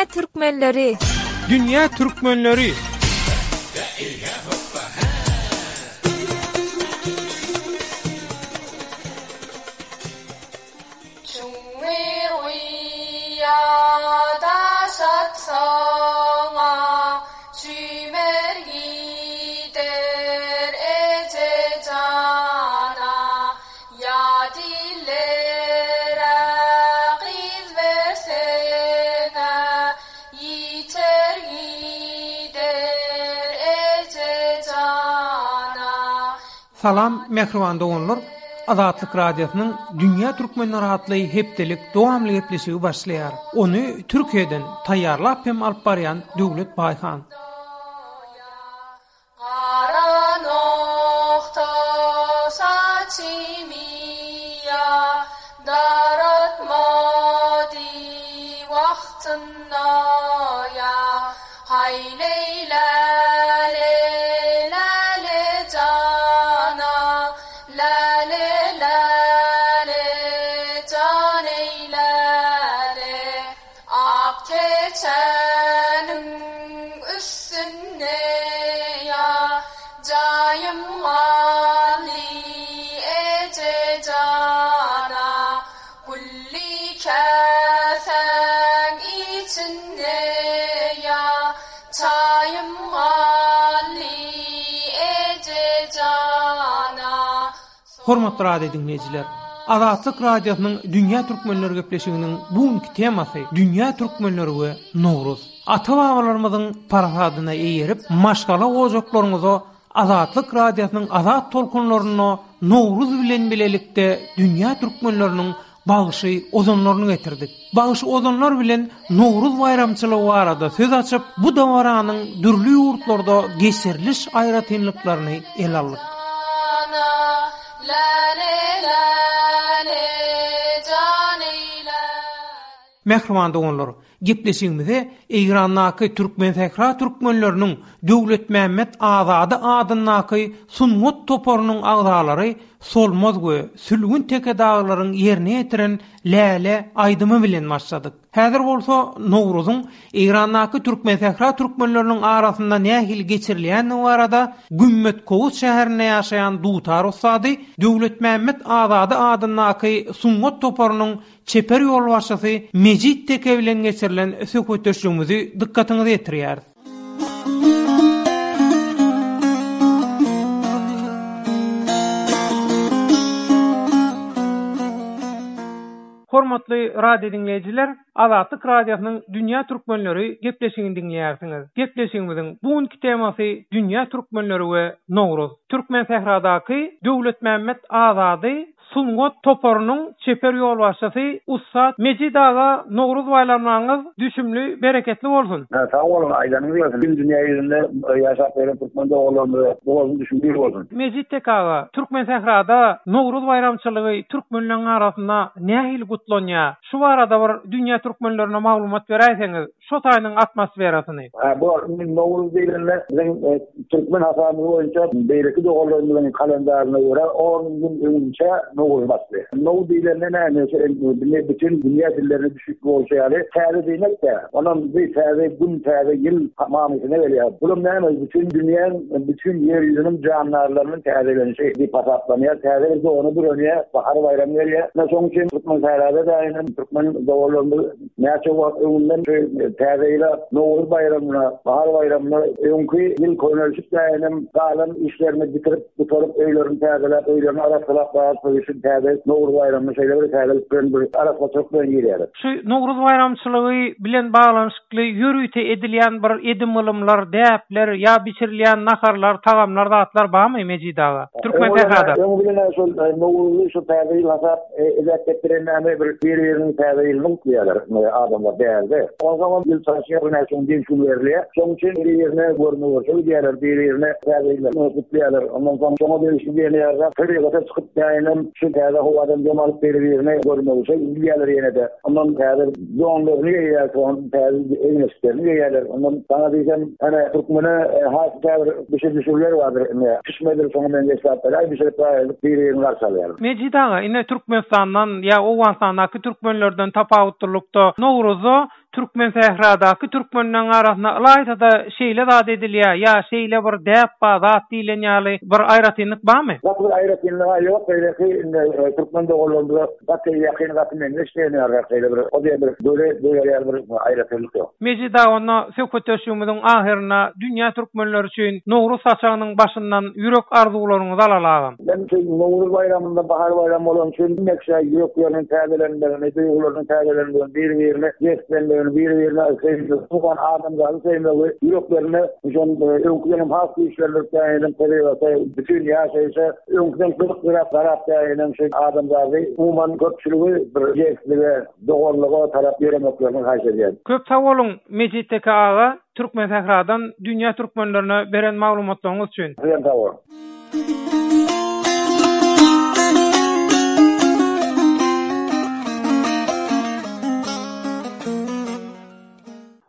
Dünýä türkmenleri! Dünýä türkmenleri! Çuňňur guýa daş atsaň-a, Çümer gider eje jana. Ýat illere gyz berseň-ä, Ýiter gider eje jana. Salam mähriban doganlar! Azatlyk Radiosynyň Dünýä Türkmenleri atly hepdelik dowamly gepleşigi başlaýar. Ony Türkiýeden taýýarlap hem alyp barýan Döwlet Baýhan. Gara nogta saçymy ýa Daratmady wagtynda ýa Haý leý läle läle jana Läle läle jan eý läle Ak keçäniň üstünde ýa Jaýym galdy eje jana Gülli käsäň içinde ýa Çaýym galdy eje jana. Hormatly radio diňleýjiler! Azatlyk Radiosynyň Dünýä Türkmenleri gepleşiginiň bu günki temasy Dünýä Türkmenleri we Nowruz. Ata-babalarymyzyň parasadyna eýerip, maşgala ojaklaryňyza Azatlyk Radiosynyň azat tolkunlarynda Nowruz bilen bilelikde dünýä türkmenleriniň bagşy ozanlaryny getirdik. Bagşy ozanlar bilen Nowruz baýramçylygy barada söz açyp, bu dabaranyň dürli ýurtlarda geçiriliş aýratynlyklaryny ele aldyk. Mähriban doganlar, gepleşigimize Eýrandaky Türkmensähra türkmenleriniň Döwletmämmet Azady adyndaky sungat toparynyň agzalary Solmaz we Sülgün teke dagylaryň ýerine ýetiren Läle aýdymy bilen başladyk. Häzir bolsa Nowruzyň Eýrandaky Türkmensähra türkmenleriniň arasynda nähili geçirilýändigi barada Gümmetkowus şäherinde ýaşaýan dutar ussady Döwletmämmet Azady adyndaky sungat toparynyň çeper ýolbaşçysy Mejit Teke bilen geçirilen söhbetdeşligimizi dykgatyňyza ýetirýäris. Hormatly radio diňleýjiler, Azatlyk Radiosynyň Dünýä Türkmenleri gepleşigini diňleýärsiňiz. Gepleşigimiziň bu günki temasy Dünýä Türkmenleri we Nowruz. Türkmensähradaky Döwletmämmet Azady Sungat toparynyň çeper ýolbaşçysy ussat Mejit aga Nowruz baýramlaryňyz düşümli bereketli bolsun. Sag boluň aýdanyňyz gelsin bütin dünýä ýüzünde ýaşap ýören türkmen doganlarymyza bolsun düşümli bolsun. Mejit tek aga, Türkmensährada Nowruz baýramçylygy türkmenleň arasynda nähili gutlanýar? Şu barada bir dünýä türkmenlerine maglumat beräýseňiz? Şo taýynyň atmosferasyny. Hä, bu indi Nowruz diýlende biziň türkmen hasabymyz boýunça beýleki doganlarymyzyň kalendaryna görä on gün öňünçä Nowruz başlaýar. Now diýlende näme, indi bütin dünýä dillerine düşnükli bolşy ýaly täze diýmek-dä. Onam bir täze gün, täze ýyl manysyna gelýär. Bulam näme, bütin dünýäň, bütin ýer ýüzüniň jandarlarynyň täzelenişi diýip hasaplanýar. Täze bir dona bürenýär, bahar baýramy gelýär. Ine, şonuň üçin türkmen sährada-da türkmen doganlarymyz Näçe wagt öňünden şu Täze ýyla, Nowruz baýramyna, Bahar baýramyna öňki ýyl könelişip däýenem galan işlerini bitirip, gutaryp, öýlerini täzeläp, öýlerini arassalap galyp şu täze Nowruz baýramyna şeýle bir täzelik bilen bir arassaçylyk bilen girýärler. Şu Nowruz baýramçylygy bilen baglanyşykly ýörite edilýän bir edim-gylymlar, däpler ýa bişirilýän naharlar, tagamlar, zatlar barmy Mejit aga? Türkmen sährada. Öňi bilen-ä şol Nowruzy şu Täze ýyl hasap Edep etdiren näme bir bir-biriniň täze ýylyny gutlaýarlar adamlar bärde. Onsoňam ýyl çalyşýar näçe gün dynç gün berilýär. Şonuň üçin biri-birine görme-görşe gidýärler, biri-birine täze ýyllaryny gutlaýarlar. Ondan soň şoňa degişli diýen ýaly tebigata çykyp däýenem şu täze howadan dem alyp biri-birine görme-görşe gidýärler ýene-de. Ondan täze donlaryny geýýär, soň täze egin-eşiklerini geýýärler. Ondan saňa diýsem, hany türkmene has käbir bişir-düşürler bardyr indi. Pişmedir şoňa meňzeş zatlar aý bişirip gaýadyp biri-birini garşy alýarlar. Mejit aga, ine Türkmenistandan ýa Owganystandaky türkmenlerden tapawutlylykda Nowruzda Türkmensähradaky türkmenleň arasynda ylaýta-da şeýle zat edilýär ýa şeýle bir däp bar zat diýlen ýaly bir aýratynlyk barmy? Gaty bir aýratynlyg-a ýok, beýleki indi türkmen doganlarymyza gaty ýakyn, gaty meňzeş diýen ýalyrak şeýle bir o diýen bir göze döwer ýaly bir aýratynlyk ýok. Mejit aga onda söhbetdeşligimiziň ahyrynda dünýä türkmenleri üçin Nowruz saçagynyň başyndan ýürek arzuwlaryňyzy alaly agam. Men şu Nowruz baýramynda bahar baýramy bolany üçin hemme kişä ýürekleriniň täzelenmegini, duýgularynyň täzelenmegini, biri-birine jeslenmegini, biri-birine söýmegi, umuman adamzady söýmegi ýüreklerinde şol öňküden hem has güýçlendirip däýenem tebigata, bütin ýaşaýşa öňküden gyzyklyrak garap däýenem şu adamzady, umuman köpçüligi bir jeslige, doganlyga tarap ýöremeklerini haýyş edýän. Köp sag boluň Mejit Teke aga Türkmensähradan dünýä türkmenlerine beren maglumatlaryňyz üçin. Sizem sag boluň.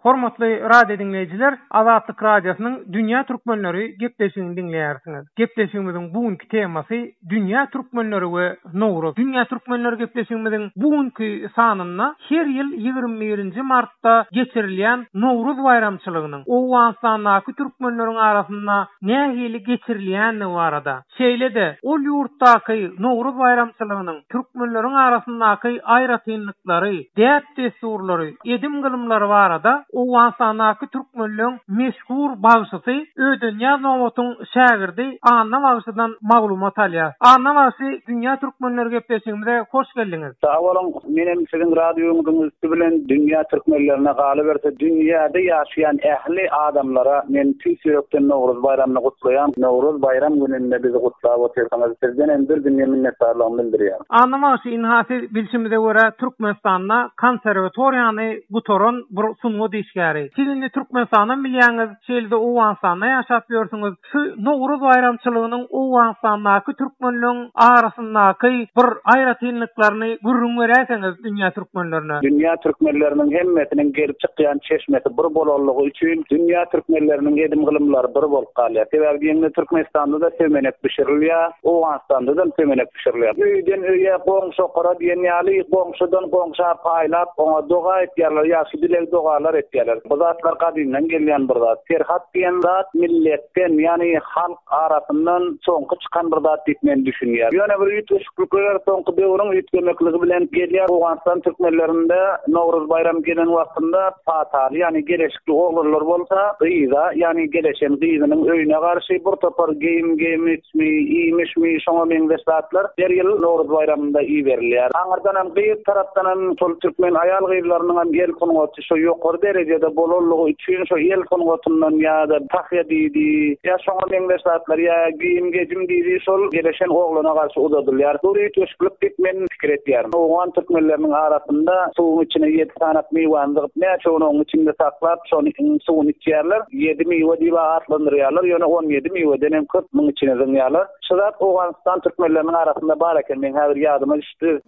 Hormatly radio diňleýjiler, Azatlyk Radiosynyň Dünýä türkmenleri gepleşigini diňleýärsiňiz. Gepleşigimiziň bu günki temasy Dünýä türkmenleri we Nowruz. Dünýä türkmenleri gepleşigimiziň bu günki sanynda her ýyl 21-nji martda geçirilýän Nowruz baýramçylygynyň Owganystandaky türkmenleriň arasynda nähili geçirilýändigi barada, şeýle-de ol ýurtdaky Nowruz baýramçylygynyň türkmenleriň arasyndaky aýratynlyklary, däp-dessurlary, edim-gylymlary barada Owganystandaky türkmenleň meşhur bagşysy Ödenýaz Nobatyň şägirdi Anna bagşydan maglumat alýas. Anna bagşy Dünýä türkmenleri gepleşigimize hoş geldiňiz. Sag boluň, menem siziň radioňyzyň üsti bilen dünýä türkmenlerine galyberse dünýäde ýaşaýan ähli adamlara men tüýs ýürekden Nowruz baýramyny gutlaýan. Nowruz baýram gününde bizi gutlap otyrsyňyz sizdenem bir dünýe minnetdarlygymy bildirýän. Anna bagşy ynha siz bilşimize görä Türkmenistanda konserwatoriýany gutaran bir sungat işgäri. Siz indi Türkmenistanam bilýäňiz şeýle-de Owganystanda ýaşap ýörsüňiz. Şu Nowruz baýramçylygynyň Owganystandaky türkmenleň arasyndaky bir aýratynlyklaryny gürrüň beräýseňiz dünýä türkmenlerine. Dünýä türkmenleriniň hemmesiniň gelip çykýan çeşmesi bir bolanlygy üçin dünýä türkmenleriniň edim-gylymlary bir bolup galýar. Sebäbi diýeňde Türkmenistanda-da sömenek bişirilýär, Owganystanda-da sömenek bişirilýär. Öýden-öýe, goňşokara diýen ýaly goňşudan goňşa paýlap oňa doga etýärler, ýagşy dileg-dogalar etýärler. Bu zatlar gadymdan gelýän bir zat. Perhat diýen zat milletden, ýagny halk arasyndan soňky çykan bir zat diýip men düşünýän. Ýöne bir üýtgeşiklikler soňky döwrüň üýtgemekligi bilen gelýär. Owganystan türkmenlerinde Nowruz baýramy gelen wagtynda pataly, ýagny geleşikli oglanlar bolsa, gyza, ýagny geleşen gyzynyň öýüne garşy bir topar geýim-geýmiçmi, iýmişmi, şoňa meňzeş zatlar her ýyl Nowruz baýramynda iberilýär. Aňyrdanam gyz tarapdanam şol türkmen aýal-gyzlarynyňam el sungaty şo ýokary derejede bolanlygy üçin şo el sungatyndan ýa-da tahýa diýdi, ýa şoňa meňzeş zatlar, ýa geýim-gejim diýdi, şol geleşen oglana garşy uzadylýar. Bu üýtgeşiklik diýip men pikir etýärin. Owgan türkmenleriniň arasynda suwuň içine ýedi sanak miwäni zygyp, näçe gün onuň içinde saklap, şony suwuny içýärler. Ýedi miwe diýip atlandyrýarlar, ýöne on ýedi miweden hem köp muň içine zyňýarlar. Şu zat Owganystan türkmenleriniň arasynda bar eken, meň häzir ýadyma düşdi.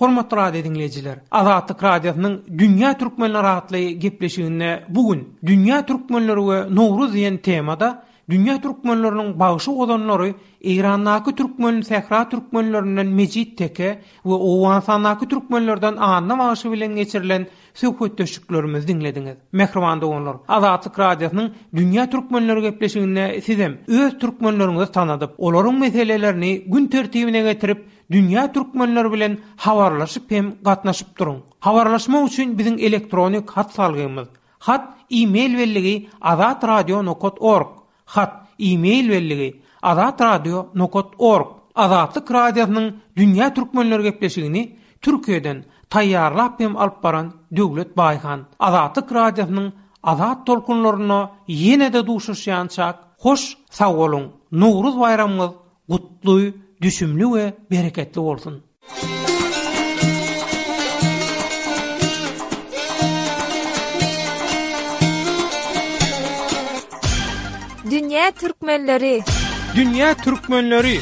Hormatly radio diňleýjiler, Azatlyk Radiosynyň Dünýä türkmenleri atly gepleşiginde bu gün Dünýä türkmenleri we Nowruz diýen temada dünýä türkmenleriniň bagşy ozanlary Eýrandaky türkmen sähra türkmenlerinden Mejit Teke we Owganystandaky türkmenlerden Anna bagşy bilen geçirilen söhbetdeşliklerimizi diňlediňiz. Mähriban doganlar, Azatlyk Radiosynyň Dünýä türkmenleri gepleşiginde sizem öz türkmenleriňizi tanadyp, olaryň meselelerini gün tertibine getirip, dünýä türkmenleri bilen habarlaşyp hem gatnaşyp duruň. Habarlaşmak üçin biziň elektronik hat salgymyz, hat e-mail belligi azatradio nokat org, hat e-mail belligi azatradio nokat org. Azatlyk Radiosynyň Dünýä türkmenleri gepleşigini Türkiýeden taýýarlap hem alyp baran Döwlet Baýhan. Azatlyk Radiosynyň azat tolkunlarynda ýene-de duşuşýançak hoş sag boluň! Nowruz baýramyňyz gutly, düşümli we bereketli bolsun! Dünýä türkmenleri. Dünýä türkmenleri.